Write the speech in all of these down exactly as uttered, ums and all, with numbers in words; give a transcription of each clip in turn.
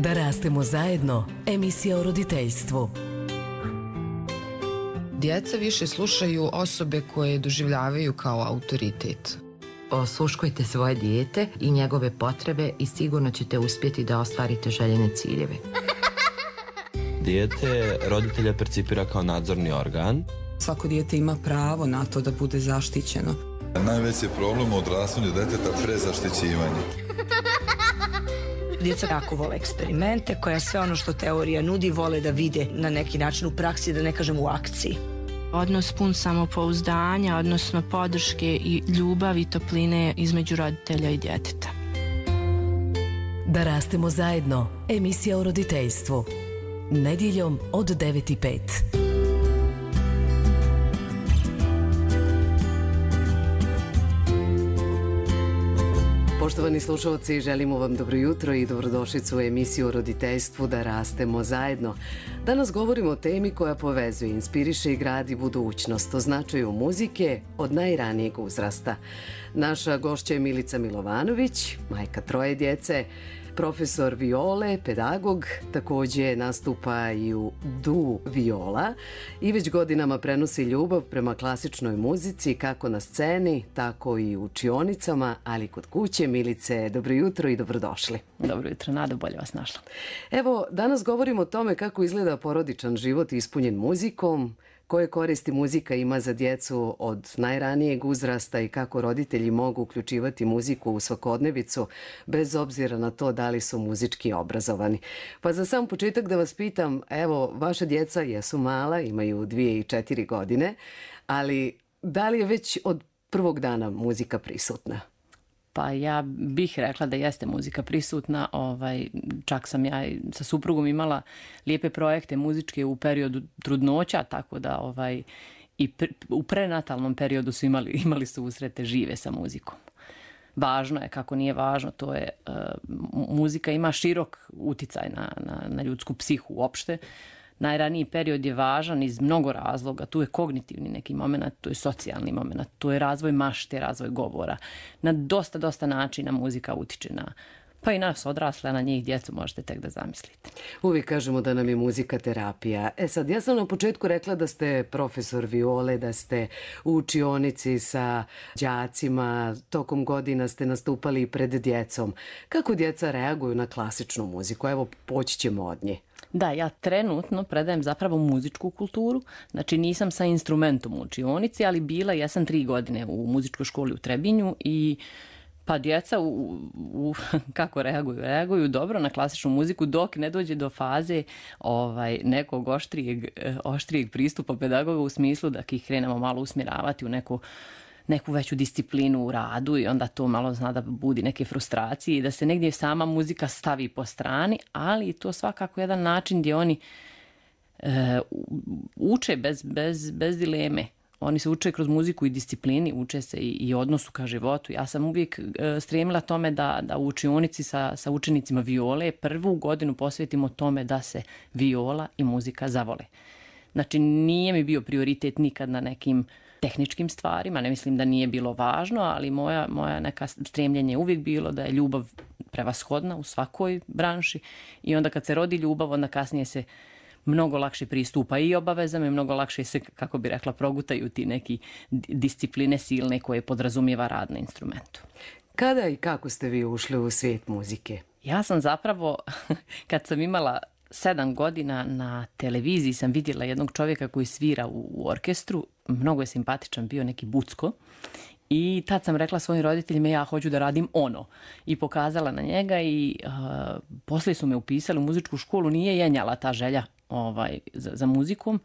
Da rastemo zajedno, emisija o roditeljstvu. Djeca više slušaju osobe koje doživljavaju kao autoritet. Osluškujte svoje dijete i njegove potrebe i sigurno ćete uspjeti da ostvarite željene ciljeve. Dijete roditelja percipira kao nadzorni organ. Svako dijete ima pravo na to da bude zaštićeno. Najveći problem u odrastanju djeteta prezaštićivanje. Djeca jako vole eksperimente, koja sve ono što teorija nudi vole da vide na neki način u praksi, da ne kažem u akciji. Odnos pun samopouzdanja, odnosno podrške i ljubavi i topline između roditelja i djeteta. Da rastemo zajedno, emisija o roditeljstvu. Nedjeljom od devet i pet. Poštovani slušalci, želimo vam dobro jutro i dobrodošlicu u emisiju o roditeljstvu Da rastemo zajedno. Danas govorimo o temi koja povezuje, inspiriše i gradi budućnost, o značaju muzike od najranijeg uzrasta. Naša gošća je Milica Milovanović, majka troje djece, profesor viole, pedagog, također nastupa i u Du Viola i već godinama prenosi ljubav prema klasičnoj muzici kako na sceni, tako i u učionicama, ali kod kuće. Milice, dobro jutro i dobrodošli. Dobro jutro, Nada, bolje vas našla. Evo, danas govorimo o tome kako izgleda porodičan život ispunjen muzikom, koje koristi muzika ima za djecu od najranijeg uzrasta i kako roditelji mogu uključivati muziku u svakodnevicu bez obzira na to da li su muzički obrazovani. Pa za sam početak da vas pitam, evo, vaša djeca jesu mala, imaju dvije i četiri godine, ali da li je već od prvog dana muzika prisutna? Pa ja bih rekla da jeste muzika prisutna, ovaj, čak sam ja sa suprugom imala lijepe projekte muzičke u periodu trudnoća, tako da ovaj, i pre, u prenatalnom periodu su imali, imali su usrete žive sa muzikom. Važno je, kako nije važno, to je, uh, muzika ima širok uticaj na, na, na ljudsku psihu uopšte. Najraniji period je važan iz mnogo razloga. Tu je kognitivni neki moment, tu je socijalni moment, tu je razvoj mašte, razvoj govora. Na dosta, dosta načina muzika utiče na, pa i nas odrasle, na njih djecu možete tek da zamislite. Uvijek kažemo da nam je muzika terapija. E sad, ja sam na početku rekla da ste profesor viole, da ste u učionici sa đacima, tokom godina ste nastupali pred djecom. Kako djeca reaguju na klasičnu muziku? Evo, poći ćemo od nje. Da, ja trenutno predajem zapravo muzičku kulturu, znači nisam sa instrumentom u učionici, ali bila, ja sam tri godine u muzičkoj školi u Trebinju i pa djeca u, u, kako reaguju? Reaguju dobro na klasičnu muziku dok ne dođe do faze ovaj, nekog oštrijeg, oštrijeg pristupa pedagoga u smislu da ih krenemo malo usmjeravati u neku neku veću disciplinu u radu i onda to malo zna da budi neke frustracije i da se negdje sama muzika stavi po strani, ali to svakako jedan način gdje oni e, uče bez, bez, bez dileme. Oni se uče kroz muziku i disciplini, uče se i, i odnosu ka životu. Ja sam uvijek e, stremila tome da, da u učionici sa, sa učenicima viole prvu godinu posvetimo tome da se viola i muzika zavole. Znači nije mi bio prioritet nikad na nekim tehničkim stvarima, ne mislim da nije bilo važno, ali moja, moja neka stremljenje je uvijek bilo da je ljubav prevashodna u svakoj branši i onda kad se rodi ljubav, onda kasnije se mnogo lakše pristupa i obavezama i mnogo lakše se, kako bi rekla, progutaju ti neki discipline silne koje podrazumijeva rad na instrumentu. Kada i kako ste vi ušli u svijet muzike? Ja sam zapravo, kad sam imala sedam godina na televiziji sam vidjela jednog čovjeka koji svira u, u orkestru, mnogo je simpatičan, bio neki Bucko i tad sam rekla svojim roditeljima ja hoću da radim ono i pokazala na njega i uh, poslije su me upisali u muzičku školu, nije jenjala ta želja ovaj, za, za muzikom.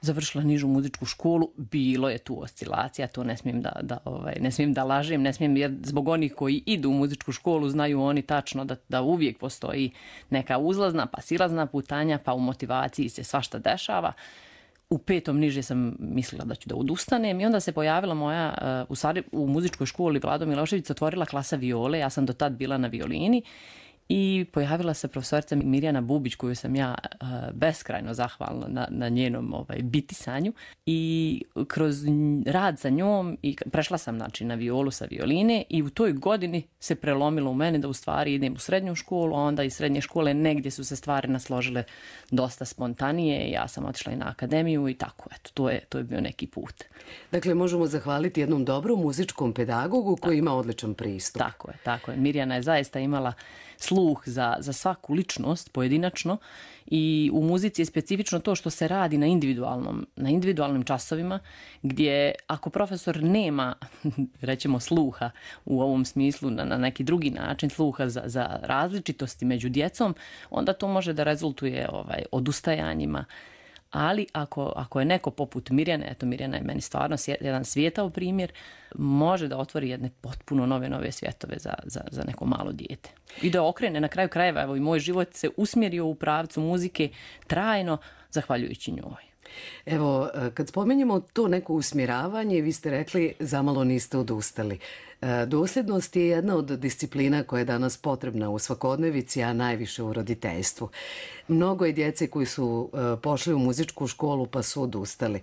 Završila nižu muzičku školu, bilo je tu oscilacija, to ne smijem da, da, ovaj, ne smijem da lažem, ne smijem jer zbog onih koji idu u muzičku školu znaju oni tačno da, da uvijek postoji neka uzlazna pa silazna putanja, pa u motivaciji se svašta dešava. U petom niže sam mislila da ću da odustanem i onda se pojavila moja, u, stvari, u muzičkoj školi Vlado Milošević otvorila klasa viole, ja sam do tad bila na violini i pojavila se profesorica Mirjana Bubić koju sam ja uh, beskrajno zahvalna na, na njenom ovaj, bitisanju i kroz rad sa njom i prešla sam znači, na violu sa violine i u toj godini se prelomilo u mene da u stvari idem u srednju školu, a onda iz srednje škole negdje su se stvari nasložile dosta spontanije, ja sam otišla i na akademiju i tako, eto, to je, to je bio neki put. Dakle, možemo zahvaliti jednom dobrom muzičkom pedagogu koji ima odličan pristup. Tako je, tako je. Mirjana je zaista imala sluh za, za svaku ličnost pojedinačno i u muzici je specifično to što se radi na individualnom, na individualnim časovima gdje ako profesor nema, rećemo, sluha u ovom smislu na, na neki drugi način, sluha za, za različitosti među djecom, onda to može da rezultuje ovaj, odustajanjima. Ali ako, ako je neko poput Mirjane, eto Mirjana je meni stvarno jedan svijetao primjer, može da otvori jedne potpuno nove, nove svjetove za, za, za neko malo dijete. I da okrene na kraju krajeva, evo i moj život se usmjerio u pravcu muzike trajno zahvaljujući njoj. Evo, kad spomenjemo to neko usmjeravanje, vi ste rekli zamalo niste odustali. Dosljednost je jedna od disciplina koja je danas potrebna u svakodnevici, a najviše u roditeljstvu. Mnogo je djece koji su pošli u muzičku školu pa su odustali.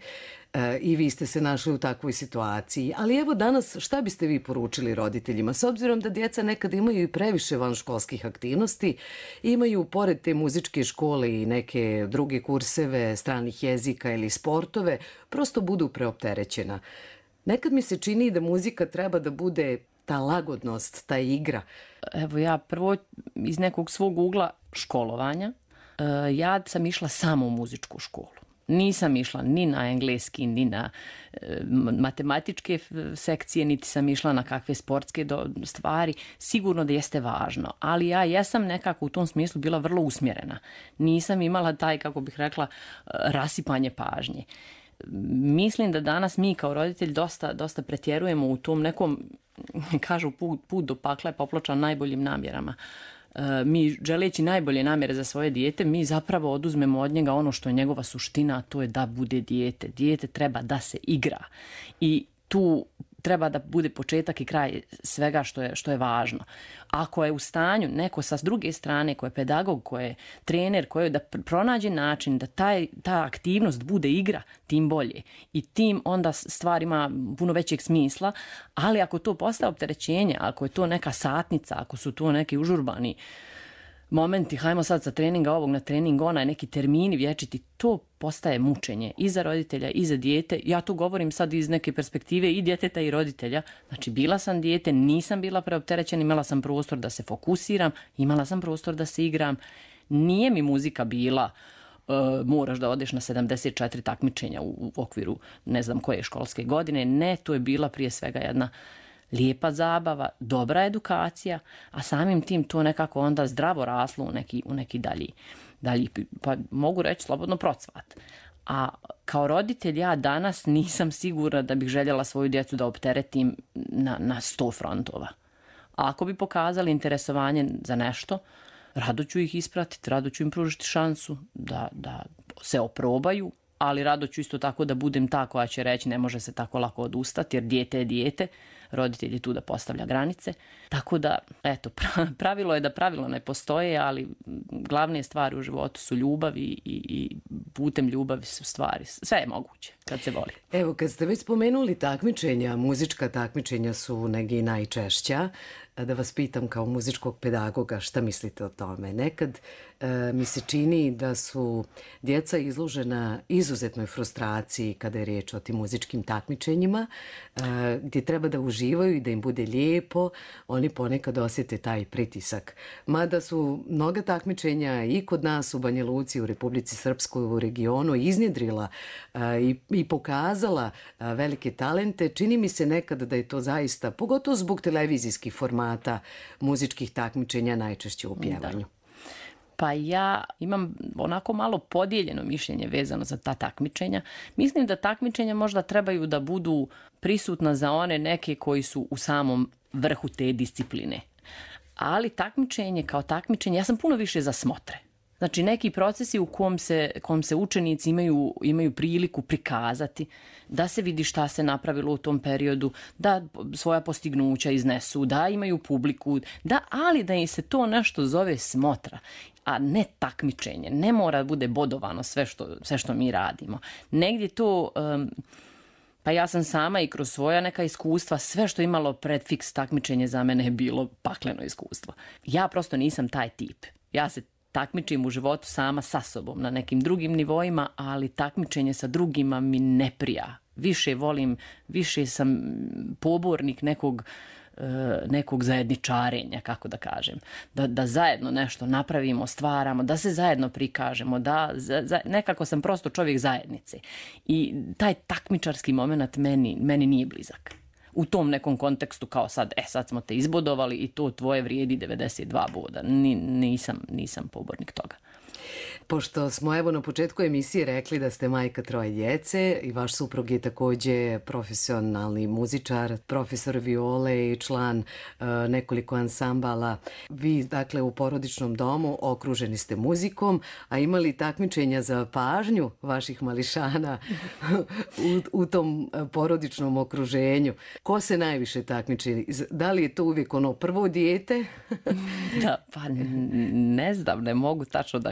I vi ste se našli u takvoj situaciji. Ali evo danas šta biste vi poručili roditeljima? S obzirom da djeca nekad imaju i previše vanškolskih aktivnosti, imaju pored te muzičke škole i neke druge kurseve stranih jezika ili sportove, prosto budu preopterećena. Nekad mi se čini da muzika treba da bude ta lagodnost, ta igra. Evo ja prvo iz nekog svog ugla školovanja, ja sam išla samo u muzičku školu. Nisam išla ni na engleski, ni na e, matematičke sekcije, niti sam išla na kakve sportske do, stvari. Sigurno da jeste važno, ali ja jesam nekako u tom smislu bila vrlo usmjerena. Nisam imala taj, kako bih rekla, rasipanje pažnje. Mislim da danas mi kao roditelj dosta, dosta pretjerujemo u tom nekom, kažu put, put do pakla je popločan najboljim namjerama. Mi želeći najbolje namjere za svoje dijete, mi zapravo oduzmemo od njega ono što je njegova suština, a to je da bude dijete. Dijete treba da se igra i tu treba da bude početak i kraj svega što je, što je važno. Ako je u stanju neko sa druge strane, ko je pedagog, ko je trener, ko je da pronađe način da taj, ta aktivnost bude igra, tim bolje. I tim onda stvar ima puno većeg smisla, ali ako to postaje opterećenje, ako je to neka satnica, ako su to neki užurbani momenti, hajmo sad sa treninga ovog na trening onaj, neki termini vječiti, to postaje mučenje i za roditelja i za dijete. Ja tu govorim sad iz neke perspektive i djeteta i roditelja. Znači, bila sam dijete, nisam bila preopterećena, imala sam prostor da se fokusiram, imala sam prostor da se igram. Nije mi muzika bila uh, moraš da odeš na sedamdeset četiri takmičenja u, u okviru ne znam koje školske godine. Ne, to je bila prije svega jedna lijepa zabava, dobra edukacija, a samim tim to nekako onda zdravo raslo u neki, u neki dalji, dalji, pa mogu reći slobodno procvat. A kao roditelj ja danas nisam sigurna da bih željela svoju djecu da opteretim na, na sto frontova. A ako bi pokazali interesovanje za nešto, rado ću ih ispratiti, rado ću im pružiti šansu da, da se oprobaju, ali rado ću isto tako da budem ta koja će reći ne može se tako lako odustati jer dijete je dijete, roditelj je tu da postavlja granice. Tako da, eto, pravilo je da pravilo ne postoje, ali glavne stvari u životu su ljubav i, i putem ljubavi su stvari. Sve je moguće kad se voli. Evo, kad ste već spomenuli takmičenja, muzička takmičenja su negdje najčešća. Da vas pitam kao muzičkog pedagoga šta mislite o tome. Nekad e, mi se čini da su djeca izložena izuzetnoj frustraciji kada je riječ o tim muzičkim takmičenjima, e, gdje treba da uživaju i da im bude lijepo. Oni ponekad osjete taj pritisak. Mada su mnoga takmičenja i kod nas u Banja Luci, u Republici Srpskoj, u regionu iznjedrila e, i, i pokazala e, velike talente, čini mi se nekad da je to zaista, pogotovo zbog televizijskih formata, muzičkih takmičenja najčešće u pjevanju. Da. Pa ja imam onako malo podijeljeno mišljenje vezano za ta takmičenja. Mislim da takmičenja možda trebaju da budu prisutna za one neke koji su u samom vrhu te discipline. Ali takmičenje kao takmičenje, ja sam puno više za smotre. Znači neki procesi u kom se, kom se učenici imaju, imaju priliku prikazati, da se vidi šta se napravilo u tom periodu, da svoja postignuća iznesu, da imaju publiku, da, ali da im se to nešto zove smotra, a ne takmičenje. Ne mora bude bodovano sve što, sve što mi radimo. Negdje to... Um, Pa ja sam sama i kroz svoja neka iskustva, sve što imalo predfiks takmičenje za mene je bilo pakleno iskustvo. Ja prosto nisam taj tip. Ja se takmičim u životu sama sa sobom na nekim drugim nivoima, ali takmičenje sa drugima mi ne prija. Više volim, više sam pobornik nekog nekog zajedničarenja, kako da kažem. Da, da zajedno nešto napravimo, stvaramo, da se zajedno prikažemo, da za, za, nekako sam prosto čovjek zajednice. I taj takmičarski moment meni, meni nije blizak. U tom nekom kontekstu kao sad, e sad smo te izbodovali i to tvoje vrijedi devedeset dva boda. Ni, nisam, nisam pobornik toga. Pošto smo evo na početku emisije rekli da ste majka troje djece i vaš suprug je također profesionalni muzičar, profesor viole i član uh, nekoliko ansambala. Vi, dakle, u porodičnom domu okruženi ste muzikom, a imali takmičenja za pažnju vaših mališana u, u tom porodičnom okruženju. Ko se najviše takmiči? Da li je to uvijek ono prvo dijete? Da, pa ne znam, ne mogu tačno da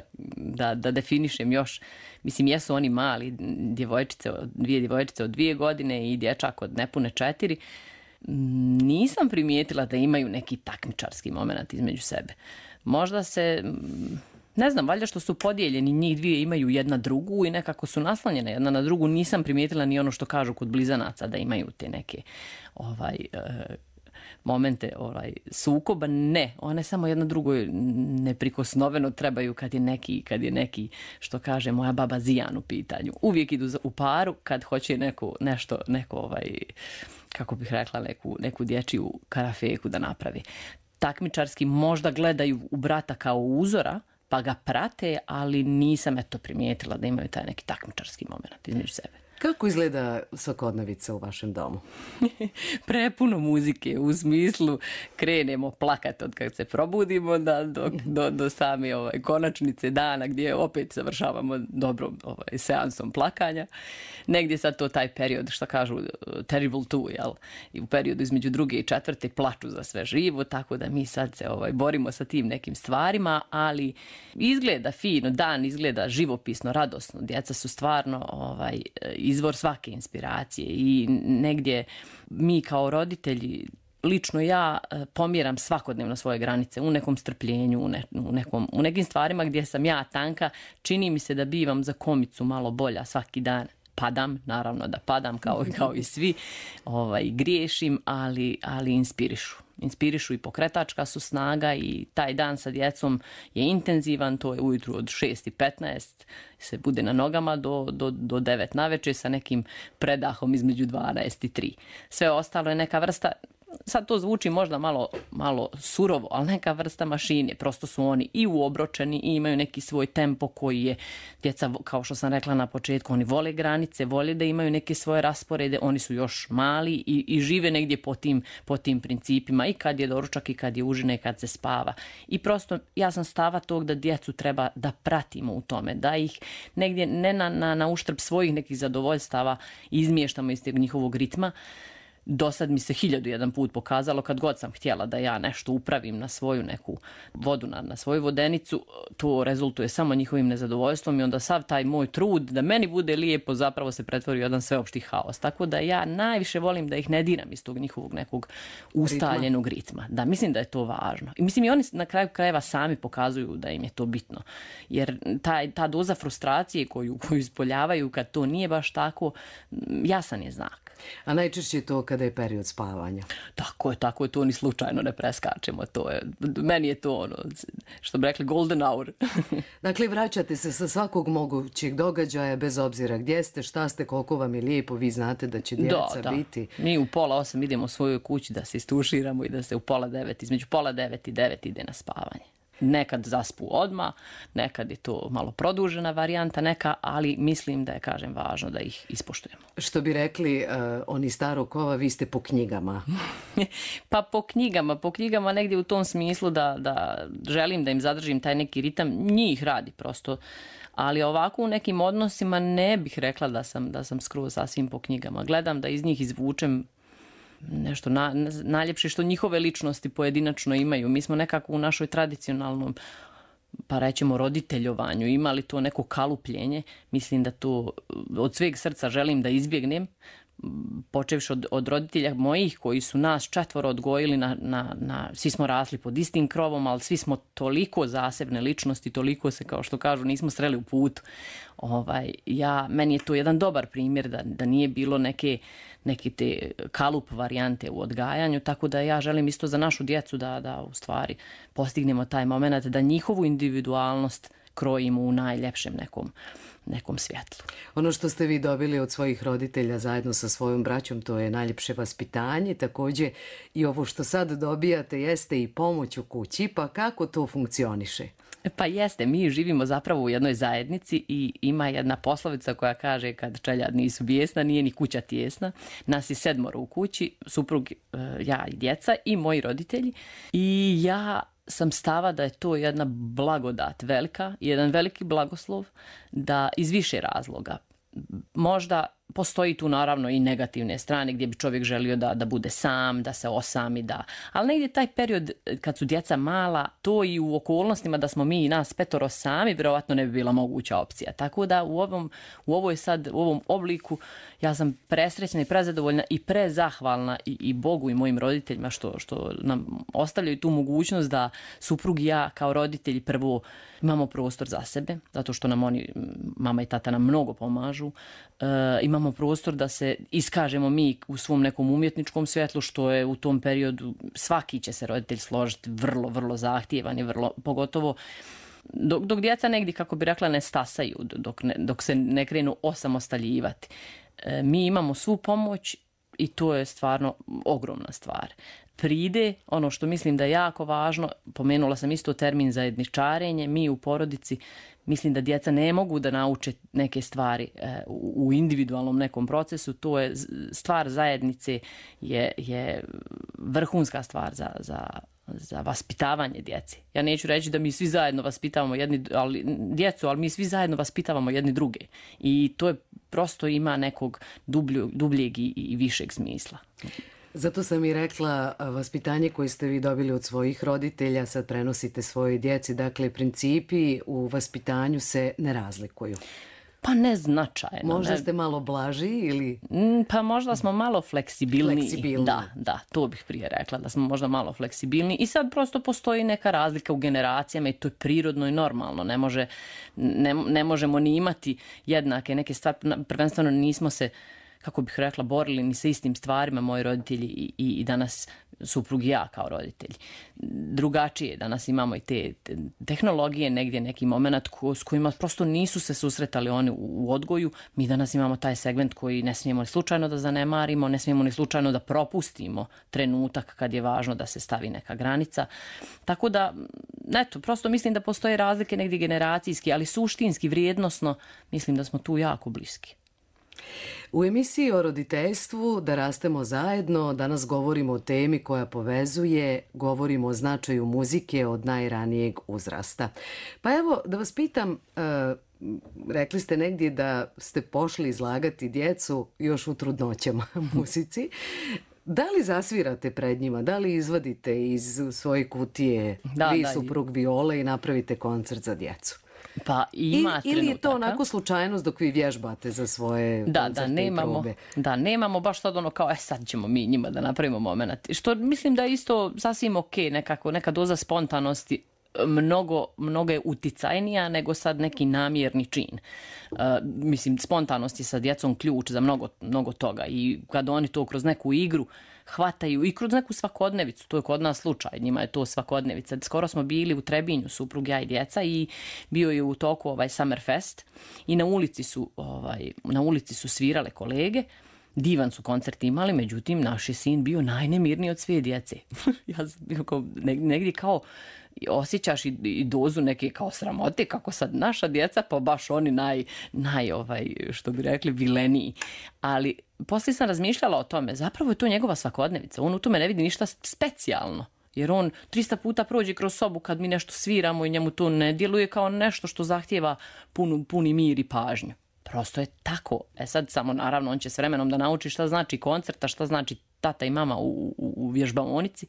Da, da definišem još, mislim, jesu oni mali, djevojčice, dvije djevojčice od dvije godine i dječak od nepune četiri. Nisam primijetila da imaju neki takmičarski moment između sebe. Možda se, ne znam, valjda što su podijeljeni, njih dvije imaju jedna drugu i nekako su naslonjene jedna na drugu. Nisam primijetila ni ono što kažu kod blizanaca da imaju te neke ovaj... Uh, momente ovaj, sukoba, ne, one samo jedno drugo neprikosnoveno trebaju kad je neki, kad je neki, što kaže moja baba Zijan u pitanju. Uvijek idu u paru kad hoće neko, nešto, neko, ovaj, kako bih rekla, neku, neku dječju karafeku da napravi. Takmičarski možda gledaju u brata kao uzora, pa ga prate, ali nisam eto primijetila da imaju taj neki takmičarski moment između sebe. Kako izgleda svakodnevica u vašem domu? Prepuno muzike, u smislu krenemo plakati od kad se probudimo da, do, do, do same ovaj, konačnice dana gdje opet završavamo dobrom ovaj, seansom plakanja. Negdje sad to taj period, što kažu, terrible two, jel? I u periodu između druge i četvrte plaču za sve živo, tako da mi sad se ovaj, borimo sa tim nekim stvarima, ali izgleda fino, dan izgleda živopisno, radosno. Djeca su stvarno ovaj, izvor svake inspiracije i negdje mi kao roditelji, lično ja pomjeram svakodnevno svoje granice u nekom strpljenju, u, ne, u, nekom, u nekim stvarima gdje sam ja tanka, čini mi se da bivam za komicu malo bolja svaki dan. Padam, naravno da padam kao, kao i svi, ovaj, griješim, ali, ali inspirišu. Inspirišu i pokretačka su snaga i taj dan sa djecom je intenzivan, to je ujutru od šest i petnaest se bude na nogama do, do, do devet navečer sa nekim predahom između dvanaest i tri. Sve ostalo je neka vrsta, sad to zvuči možda malo, malo surovo, ali neka vrsta mašine. Prosto su oni i uobročeni i imaju neki svoj tempo koji je, djeca, kao što sam rekla na početku, oni vole granice, vole da imaju neke svoje rasporede, oni su još mali i, i žive negdje po tim, po tim principima i kad je doručak i kad je užina i kad se spava. I prosto ja sam stava tog da djecu treba da pratimo u tome, da ih negdje ne na, na, na uštrb svojih nekih zadovoljstava izmještamo iz tog njihovog ritma. Do sad mi se hiljadu jedan put pokazalo kad god sam htjela da ja nešto upravim na svoju neku vodu, na, na svoju vodenicu, to rezultuje samo njihovim nezadovoljstvom i onda sav taj moj trud da meni bude lijepo zapravo se pretvori u jedan sveopšti haos. Tako da ja najviše volim da ih ne diram iz tog njihovog nekog ustaljenog ritma. ritma. Da, mislim da je to važno. I mislim i oni na kraju krajeva sami pokazuju da im je to bitno. Jer taj, ta doza frustracije koju, koju ispoljavaju kad to nije baš tako, jasan je znak. A najčešće je to kada je period spavanja. Tako je, tako je, to ni slučajno ne preskačemo. To je, meni je to ono, što bi rekli, golden hour. Dakle, vraćate se sa svakog mogućeg događaja, bez obzira gdje ste, šta ste, koliko vam je lijepo, vi znate da će djeca da, da. biti. Mi u pola osam idemo u svoju kući da se istuširamo i da se u pola devet, između pola devet i devet ide na spavanje. Nekad zaspu odmah, nekad je to malo produžena varijanta neka, ali mislim da je, kažem, važno da ih ispoštujemo. Što bi rekli uh, oni starog kova, vi ste po knjigama. Pa po knjigama, po knjigama negdje u tom smislu da, da želim da im zadržim taj neki ritam, njih radi prosto. Ali ovako u nekim odnosima ne bih rekla da sam, da sam skroz sasvim po knjigama. Gledam da iz njih izvučem nešto na, najljepše što njihove ličnosti pojedinačno imaju. Mi smo nekako u našoj tradicionalnom, pa rećemo, roditeljovanju imali to neko kalupljenje. Mislim da to od sveg srca želim da izbjegnem, počevši od, od roditelja mojih koji su nas četvoro odgojili, na, na, na, svi smo rasli pod istim krovom, ali svi smo toliko zasebne ličnosti, toliko se, kao što kažu, nismo sreli u putu. Ovaj, ja, meni je to jedan dobar primjer da, da nije bilo neke, neke te kalup varijante u odgajanju, tako da ja želim isto za našu djecu da, da u stvari postignemo taj moment, da njihovu individualnost krojimo u najljepšem nekom nekom svjetlu. Ono što ste vi dobili od svojih roditelja zajedno sa svojom braćom, to je najljepše vaspitanje. Također i ovo što sad dobijate jeste i pomoć u kući, pa kako to funkcioniše? Pa jeste, mi živimo zapravo u jednoj zajednici i ima jedna poslovica koja kaže kad čeljad nisu bijesna, nije ni kuća tijesna. Nas je sedmoro u kući, suprug, ja i djeca i moji roditelji. I ja sam stava da je to jedna blagodat velika, jedan veliki blagoslov, da iz više razloga. Možda postoji tu naravno i negativne strane gdje bi čovjek želio da, da bude sam, da se osami, da... Ali negdje taj period kad su djeca mala, to i u okolnostima da smo mi i nas petoro sami, vjerovatno ne bi bila moguća opcija. Tako da u ovom, u ovoj sad, u ovom obliku ja sam presrećna i prezadovoljna i prezahvalna i, i Bogu i mojim roditeljima što, što nam ostavljaju tu mogućnost da suprug i ja kao roditelji prvo imamo prostor za sebe, zato što nam oni, mama i tata nam mnogo pomažu. E, imamo prostor da se iskažemo mi u svom nekom umjetničkom svjetlu, što je u tom periodu svaki će se roditelj složiti vrlo, vrlo zahtjevan i vrlo, pogotovo dok, dok djeca negdje, kako bi rekla, ne stasaju, dok, ne, dok se ne krenu osamostaljivati. E, mi imamo svu pomoć i to je stvarno ogromna stvar. Pride, ono što mislim da je jako važno, pomenula sam isto termin zajedničarenje, mi u porodici mislim da djeca ne mogu da nauče neke stvari e, u individualnom nekom procesu, to je stvar zajednice, je, je vrhunska stvar za, za, za vaspitavanje djece. Ja neću reći da mi svi zajedno vaspitavamo jedni, ali, djecu, ali mi svi zajedno vaspitavamo jedni druge i to je prosto ima nekog dublju, dubljeg i, i višeg smisla. Zato sam i rekla, vaspitanje koje ste vi dobili od svojih roditelja sad prenosite svojoj djeci, dakle principi u vaspitanju se ne razlikuju. Pa ne značajno. Možda ne. ste malo blaži ili... Pa možda smo malo fleksibilniji. Fleksibilni. Da, da, to bih prije rekla, da smo možda malo fleksibilni. I sad prosto postoji neka razlika u generacijama i to je prirodno i normalno. Ne, može, ne, ne možemo ni imati jednake neke stvari. Prvenstveno nismo se, kako bih rekla, borili ni sa istim stvarima moji roditelji i, i, i danas suprug i ja kao roditelji. Drugačije, danas imamo i te, te tehnologije, negdje neki moment ko, s kojima prosto nisu se susretali oni u, u odgoju. Mi danas imamo taj segment koji ne smijemo ni slučajno da zanemarimo, ne smijemo ni slučajno da propustimo trenutak kad je važno da se stavi neka granica. Tako da, eto, prosto mislim da postoje razlike negdje generacijski, ali suštinski, vrijednosno, mislim da smo tu jako bliski. U emisiji o roditeljstvu Da rastemo zajedno danas govorimo o temi koja povezuje, govorimo o značaju muzike od najranijeg uzrasta. Pa evo da vas pitam, uh, rekli ste negdje da ste pošli izlagati djecu još u trudnoćama muzici. Da li zasvirate pred njima, da li izvadite iz svoje kutije da, vi da, suprug viole i napravite koncert za djecu? Pa ima I, ili je to onako slučajnost dok vi vježbate za svoje da, koncerte da, nemamo, i probe? Da, nemamo baš sad ono kao, e sad ćemo mi njima da napravimo moment. Što mislim da je isto sasvim ok, nekako, neka doza spontanosti mnogo, mnogo je uticajnija nego sad neki namjerni čin. Uh, mislim, spontanost je sa djecom ključ za mnogo, mnogo toga i kad oni to kroz neku igru hvataju i kroz neku svakodnevicu, to je kod nas slučaj, njima je to svakodnevica. Skoro smo bili u Trebinju, suprug, ja i djeca, i bio je u toku ovaj Summerfest i na ulici su, ovaj, na ulici su svirale kolege. Divan su koncert imali, međutim, naš je sin bio najnemirniji od sve djece. Ja sam bio kao, negdje kao osjećaš i, i dozu neke kao sramote kako sad naša djeca, pa baš oni naj, naj ovaj, što bi rekli, vileniji. Ali poslije sam razmišljala o tome, zapravo je to njegova svakodnevica, on u tome ne vidi ništa specijalno. Jer on trista puta prođe kroz sobu kad mi nešto sviramo i njemu to ne djeluje kao nešto što zahtijeva punu, puni mir i pažnju. Prosto je tako. E sad samo naravno on će s vremenom da nauči šta znači koncert, a šta znači tata i mama u, u, u vježbaonici,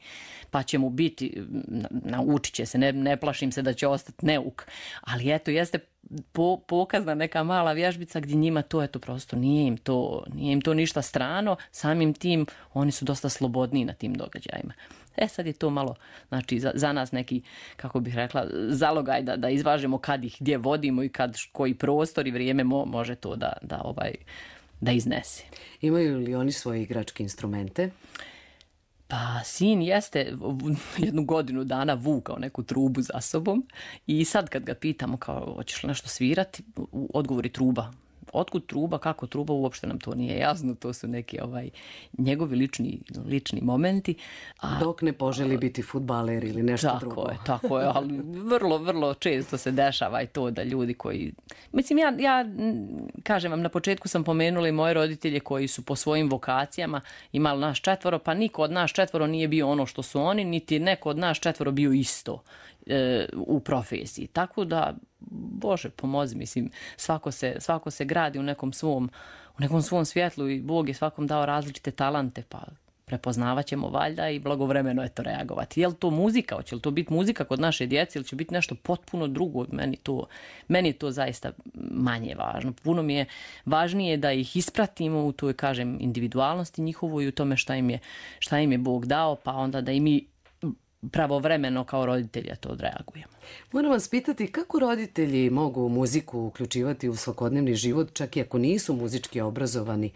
pa će mu biti, naučit će se, ne, ne plašim se da će ostati neuk. Ali eto, jeste po, pokazna neka mala vježbica gdje njima to, eto, prosto nije im to, nije im to ništa strano, samim tim oni su dosta slobodniji na tim događajima. E sad je to malo, znači za, za nas neki, kako bih rekla, zalogaj da, da izvažemo kad ih gdje vodimo i kad koji prostor i vrijeme mo, može to da, da, ovaj, da iznese. Imaju li oni svoje igračke instrumente? Pa sin jeste jednu godinu dana vukao neku trubu za sobom i sad kad ga pitamo kao hoćeš li nešto svirati, odgovori truba. Otkud truba, kako truba, uopšte nam to nije jasno, to su neki ovaj, njegovi lični, lični momenti. A, Dok ne poželi biti fudbaler ili nešto tako drugo. Tako je, tako je, ali vrlo, vrlo često se dešava i to da ljudi koji... Mislim, ja, ja kažem vam, na početku sam pomenula i moje roditelje koji su po svojim vokacijama imali nas četvoro, pa niko od nas četvoro nije bio ono što su oni, niti neko od nas četvoro bio isto e, u profesiji. Tako da, Bože, pomozi, mislim, svako se, svako se gradi u nekom svom, u nekom svom svjetlu i Bog je svakom dao različite talante, pa prepoznavat ćemo valjda i blagovremeno eto reagovati. Je li to muzika? Hoće li to biti muzika kod naše djece ili će biti nešto potpuno drugo? Meni, to, meni je to zaista manje važno. Puno mi je važnije da ih ispratimo u toj, kažem, individualnosti njihovoj i u tome šta im je, šta im je Bog dao, pa onda da i mi pravovremeno kao roditelja to odreagujemo. Moram vas pitati kako roditelji mogu muziku uključivati u svakodnevni život, čak i ako nisu muzički obrazovani,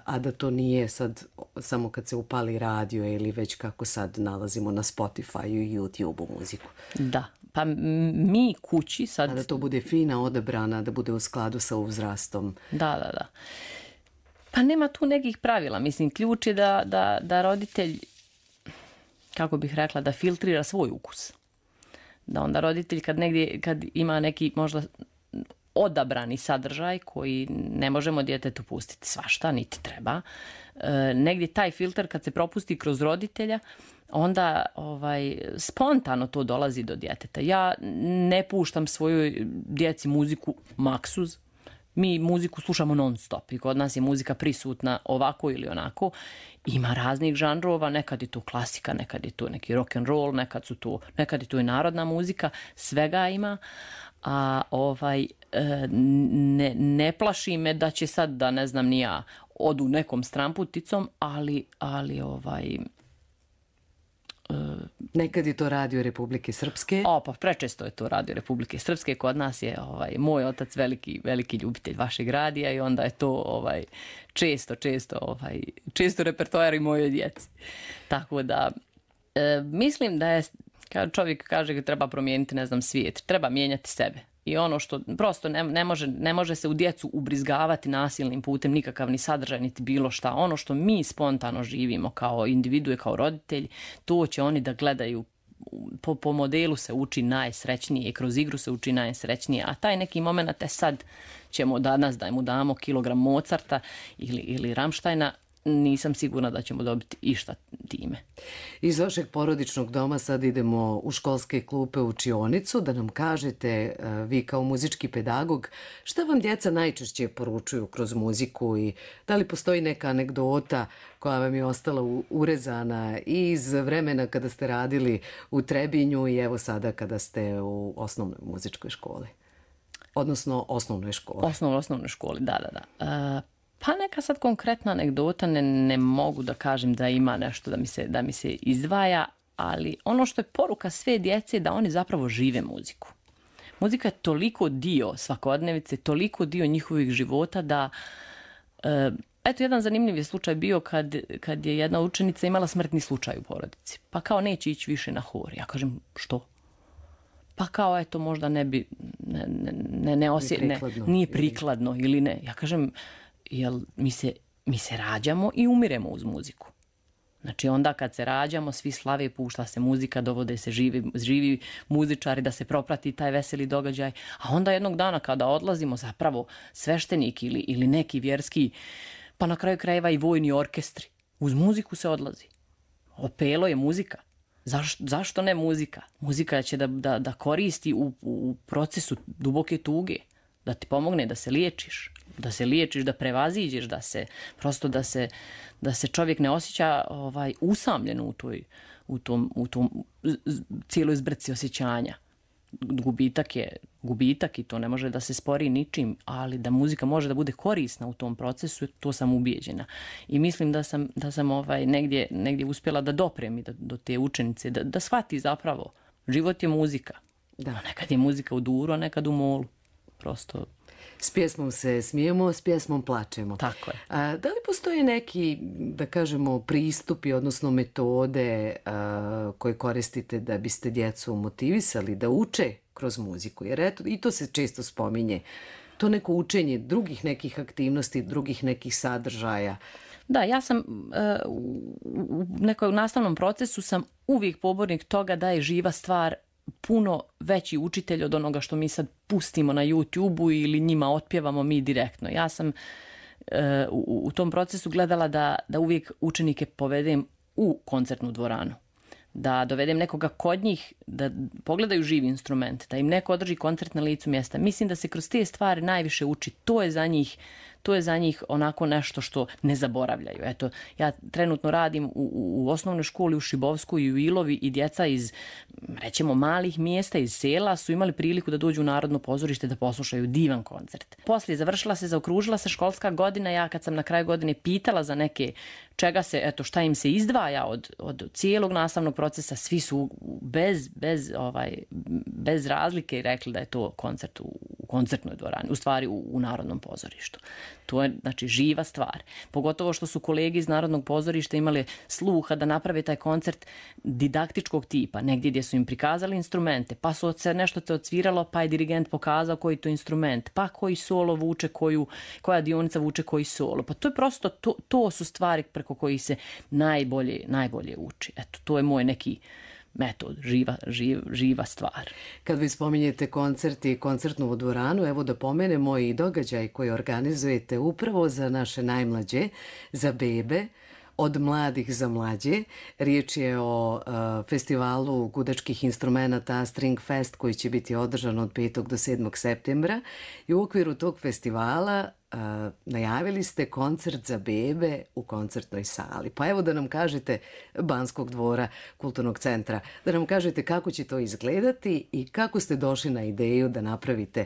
a da to nije sad samo kad se upali radio ili već kako sad nalazimo na Spotify i YouTube-u muziku. Da, pa mi kući sad... A da to bude fina, odabrana, da bude u skladu sa uzrastom. Da, da, da. Pa nema tu nekih pravila. Mislim, ključ je da, da, da roditelj, kako bih rekla, da filtrira svoj ukus. Da onda roditelj kad negdje, kad ima neki možda odabrani sadržaj koji ne možemo djetetu pustiti svašta, niti treba. E, negdje taj filter kad se propusti kroz roditelja, onda ovaj, spontano to dolazi do djeteta. Ja ne puštam svojoj djeci muziku maksuz. Mi muziku slušamo non stop i kod nas je muzika prisutna ovako ili onako. Ima raznih žanrova, nekad je to klasika, nekad je to neki rock and roll, nekad, su to, nekad je to i narodna muzika, svega ima. A ovaj, ne, ne plaši me da će sad, da ne znam ni ja, odu nekom stramputicom, ali, ali ovaj... Nekad je to Radio Republike Srpske. O, pa prečesto je to Radio Republike Srpske. Kod nas je ovaj, moj otac veliki, veliki ljubitelj vašeg radija i onda je to ovaj, često, često, ovaj, često repertoar i mojoj djeci. Tako da, e, mislim da je, kad čovjek kaže da treba promijeniti, ne znam, svijet, treba mijenjati sebe. I ono što prosto ne, ne, može, ne može se u djecu ubrizgavati nasilnim putem nikakav ni sadržaj, niti bilo šta. Ono što mi spontano živimo kao individue, kao roditelji, to će oni da gledaju. Po, po modelu se uči najsrećnije i kroz igru se uči najsrećnije. A taj neki moment, e sad ćemo danas da mu damo kilogram Mozarta ili, ili Rammsteina, nisam sigurna da ćemo dobiti išta time. Iz vašeg porodičnog doma sad idemo u školske klupe, u učionicu, da nam kažete, vi kao muzički pedagog, šta vam djeca najčešće poručuju kroz muziku i da li postoji neka anegdota koja vam je ostala urezana iz vremena kada ste radili u Trebinju i evo sada kada ste u osnovnoj muzičkoj školi? Odnosno osnovnoj školi. Osnovnoj, osnovnoj školi, da, da, da. Uh... Pa neka sad konkretna anegdota, ne, ne mogu da kažem da ima nešto da mi, se, da mi se izdvaja, ali ono što je poruka sve djece je da oni zapravo žive muziku. Muzika je toliko dio svakodnevice, toliko dio njihovih života da... E, eto, jedan zanimljiv je slučaj bio kad, kad je jedna učenica imala smrtni slučaj u porodici. Pa kao neće ići više na hor. Ja kažem, što? Pa kao, eto, možda ne bi... Ne, ne, ne osje, nije prikladno. Ne, nije prikladno ili ne. Ja kažem... Jer mi se, mi se rađamo i umiremo uz muziku. Znači onda kad se rađamo, svi slave, pušta se muzika, dovode se živi, živi muzičari da se proprati taj veseli događaj. A onda jednog dana kada odlazimo, zapravo sveštenik ili, ili neki vjerski, pa na kraju krajeva i vojni orkestri. Uz muziku se odlazi. Opelo je muzika. Zašto, zašto ne muzika? Muzika će da, da, da koristi u, u procesu duboke tuge, da ti pomogne da se liječiš, da se liječiš, da prevaziđeš, da se prosto da se, da se čovjek ne osjeća ovaj, usamljeno u toj, u tom, u tom cijeloj zbrci osjećanja. Gubitak je gubitak i to ne može da se spori ničim, ali da muzika može da bude korisna u tom procesu, to sam ubijeđena. I mislim da sam, da sam ovaj, negdje, negdje uspjela da doprem i da, do te učenice, da, da shvati zapravo, život je muzika. Da. A nekad je muzika u duru, a nekad u molu. Prosto... S pjesmom se smijemo, s pjesmom plačemo. Tako je. A, da li postoje neki, da kažemo, pristupi, odnosno metode a, koje koristite da biste djecu motivisali da uče kroz muziku? Jer eto, i to se često spominje. To neko učenje drugih nekih aktivnosti, drugih nekih sadržaja. Da, ja sam uh, u nekom nastavnom procesu sam uvijek pobornik toga da je živa stvar puno veći učitelj od onoga što mi sad pustimo na YouTube-u ili njima otpjevamo mi direktno. Ja sam uh, u, u tom procesu gledala da, da uvijek učenike povedem u koncertnu dvoranu. Da dovedem nekoga kod njih, da pogledaju živi instrument, da im neko održi koncert na licu mjesta. Mislim da se kroz te stvari najviše uči. To je za njih, to je za njih onako nešto što ne zaboravljaju. Eto, ja trenutno radim u, u osnovnoj školi u Šibovsku i u Ilovi i djeca iz, rećemo, malih mjesta, iz sela su imali priliku da dođu u Narodno pozorište da poslušaju divan koncert. Poslije završila se, zaokružila se školska godina. Ja kad sam na kraju godine pitala za neke čega se, eto, šta im se izdvaja od, od cijelog nastavnog procesa, svi su bez, bez, ovaj, bez razlike rekli da je to koncert u, u koncertnoj dvorani, u stvari u, u Narodnom pozorištu. To je, znači, živa stvar. Pogotovo što su kolege iz Narodnog pozorišta imali sluha da naprave taj koncert didaktičkog tipa, negdje gdje su im prikazali instrumente, pa su se nešto se odsviralo, pa je dirigent pokazao koji to instrument, pa koji solo vuče, koju, koja dionica vuče koji solo. Pa to je prosto, to, to su stvari preko kojih se najbolje, najbolje uči. Eto, to je moj neki metod, živa, živ, živa stvar. Kad vi spominjete koncert i koncertnu dvoranu, evo da pomenemo i događaj koji organizujete upravo za naše najmlađe, za bebe, od mladih za mlađe. Riječ je o uh, festivalu gudačkih instrumenata String Fest koji će biti održan od petog do sedmog septembra i u okviru tog festivala uh, najavili ste koncert za bebe u koncertnoj sali. Pa evo da nam kažete, Banskog dvora kulturnog centra, da nam kažete kako će to izgledati i kako ste došli na ideju da napravite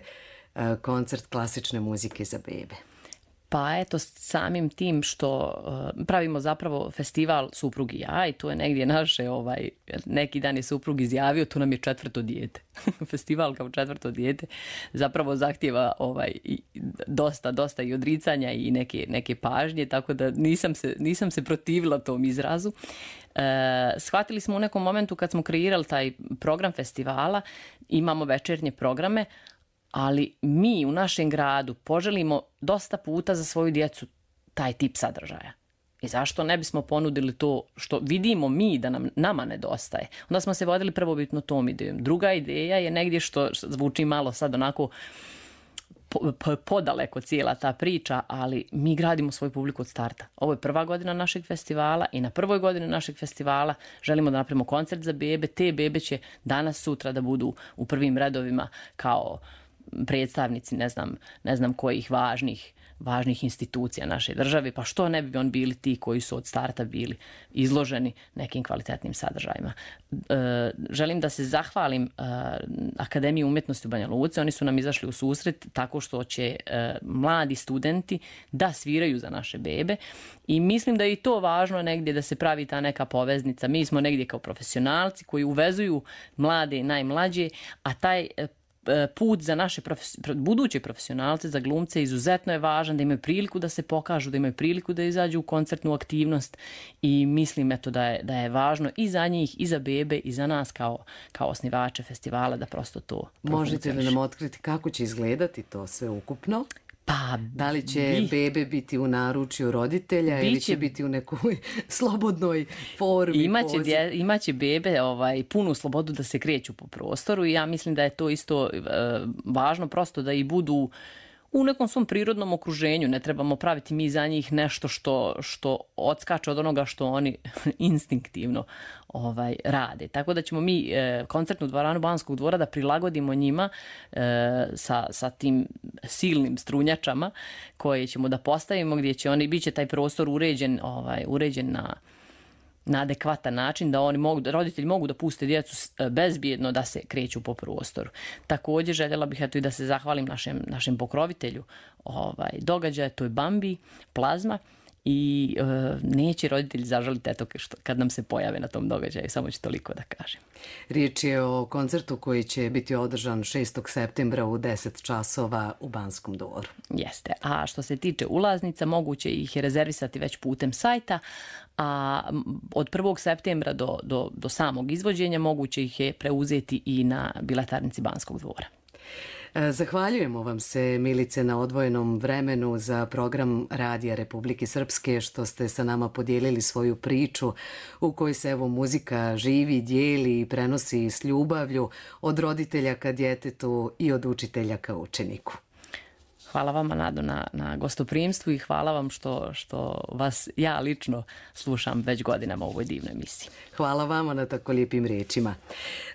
uh, koncert klasične muzike za bebe. Pa eto, samim tim što uh, pravimo zapravo festival Suprug i ja i to je negdje naše, ovaj, neki dan je suprug izjavio, tu nam je četvrto dijete. Festival kao četvrto dijete zapravo zahtjeva ovaj, dosta, dosta i odricanja i neke, neke pažnje, tako da nisam se, nisam se protivila tom izrazu. Uh, shvatili smo u nekom momentu kad smo kreirali taj program festivala, imamo večernje programe, ali mi u našem gradu poželimo dosta puta za svoju djecu taj tip sadržaja. I zašto ne bismo ponudili to što vidimo mi da nam, nama nedostaje? Onda smo se vodili prvobitno tom idejom. Druga ideja je negdje što, što zvuči malo sad onako po, po, podaleko cijela ta priča, ali mi gradimo svoju publiku od starta. Ovo je prva godina našeg festivala i na prvoj godini našeg festivala želimo da napravimo koncert za bebe. Te bebe će danas, sutra da budu u prvim redovima kao predstavnici, ne znam, ne znam kojih važnih, važnih institucija naše države, pa što ne bi on bili ti koji su od starta bili izloženi nekim kvalitetnim sadržajima. E, želim da se zahvalim e, Akademiji umjetnosti u Banja Luci. Oni su nam izašli u susret tako što će e, mladi studenti da sviraju za naše bebe i mislim da je i to važno negdje da se pravi ta neka poveznica. Mi smo negdje kao profesionalci koji uvezuju mlade i najmlađe, a taj put za naše profes... buduće profesionalce, za glumce, izuzetno je važan da imaju priliku da se pokažu, da imaju priliku da izađu u koncertnu aktivnost i mislim eto da je, da je važno i za njih, i za bebe, i za nas kao, kao osnivače festivala da prosto to Možete li nam otkriti kako će izgledati to sve ukupno? Pa, da li će bi... bebe biti u naručju roditelja Biće... ili će biti u nekoj slobodnoj formi? Imaće, dje, imaće bebe ovaj, punu slobodu da se kreću po prostoru i ja mislim da je to isto e, važno prosto da i budu u nekom svom prirodnom okruženju. Ne trebamo praviti mi za njih nešto što, što odskače od onoga što oni instinktivno ovaj, rade. Tako da ćemo mi e, koncertnu dvoranu Banskog dvora da prilagodimo njima e, sa, sa tim silnim strunjačama koje ćemo da postavimo, gdje će oni, bit će taj prostor uređen, ovaj, uređen na na adekvatan način, da oni mogu, da roditelji mogu da puste djecu bezbjedno da se kreću po prostoru. Također željela bih eto i da se zahvalim našem, našem pokrovitelju ovaj, događaja, to je Bambi, Plazma, i e, neće roditelji zažaliti eto što, kad nam se pojave na tom događaju, samo ću toliko da kažem. Riječ je o koncertu koji će biti održan šestog septembra u deset časova u Banskom dvoru. Jeste, a što se tiče ulaznica, moguće ih je rezervisati već putem sajta, a od prvog septembra do, do, do samog izvođenja moguće ih je preuzeti i na biletarnici Banskog dvora. Zahvaljujemo vam se, Milice, na odvojenom vremenu za program Radija Republike Srpske, što ste sa nama podijelili svoju priču u kojoj se evo muzika živi, dijeli i prenosi s ljubavlju od roditelja ka djetetu i od učitelja ka učeniku. Hvala vama, Nado, na, na gostoprimstvu i hvala vam što, što vas ja lično slušam već godinama u ovoj divnoj emisiji. Hvala vama na tako lijepim riječima.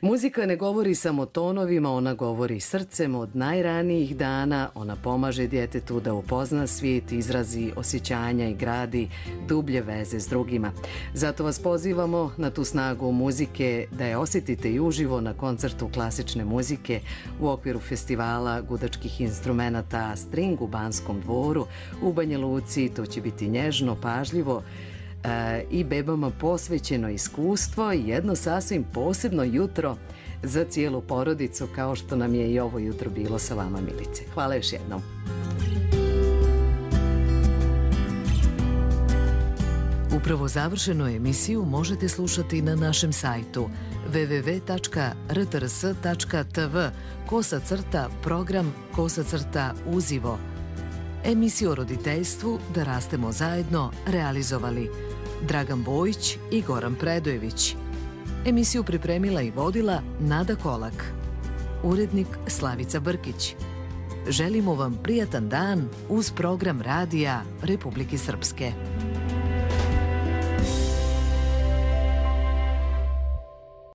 Muzika ne govori samo tonovima, ona govori srcem od najranijih dana. Ona pomaže djetetu da upozna svijet, izrazi osjećanja i gradi dublje veze s drugima. Zato vas pozivamo na tu snagu muzike da je osjetite i uživo na koncertu klasične muzike u okviru festivala gudačkih instrumenata String u Banskom dvoru u Banja Luci. To će biti nježno, pažljivo e, i bebama posvećeno iskustvo i jedno sasvim posebno jutro za cijelu porodicu, kao što nam je i ovo jutro bilo sa vama, Milice. Hvala još jednom. Upravo završenu emisiju možete slušati na našem sajtu w w w tačka r t r s tačka t v kosa crta program kosa crta uzivo. Emisiju o roditeljstvu Da rastemo zajedno realizovali Dragan Bojić i Goran Predojević. Emisiju pripremila i vodila Nada Kolak. Urednik Slavica Brkić. Želimo vam prijatan dan uz program Radija Republike Srpske.